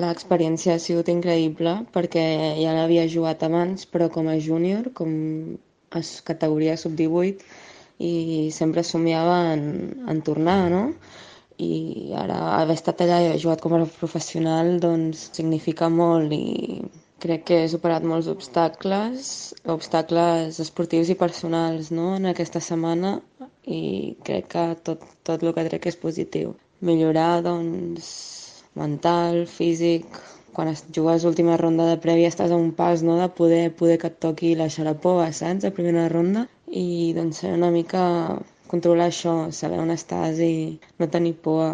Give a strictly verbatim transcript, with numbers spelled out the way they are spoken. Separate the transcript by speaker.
Speaker 1: L'experiència ha sigut increïble perquè ja l'havia jugat abans, però com a júnior, com a s- categoria sub divuit, i sempre somiava en, en tornar, no? I ara haver estat allà i haver jugat com a professional doncs significa molt i crec que he superat molts obstacles, obstacles esportius i personals, no? En aquesta setmana i crec que tot, tot el que trec és positiu. Millorar, doncs, mental, físic. Quan es jugues l'última ronda de prèvia estàs a un pas, no?, de poder, poder que et toqui la xarapova, saps?, a primera ronda. I doncs ser una mica controlar això, saber on estàs i no tenir por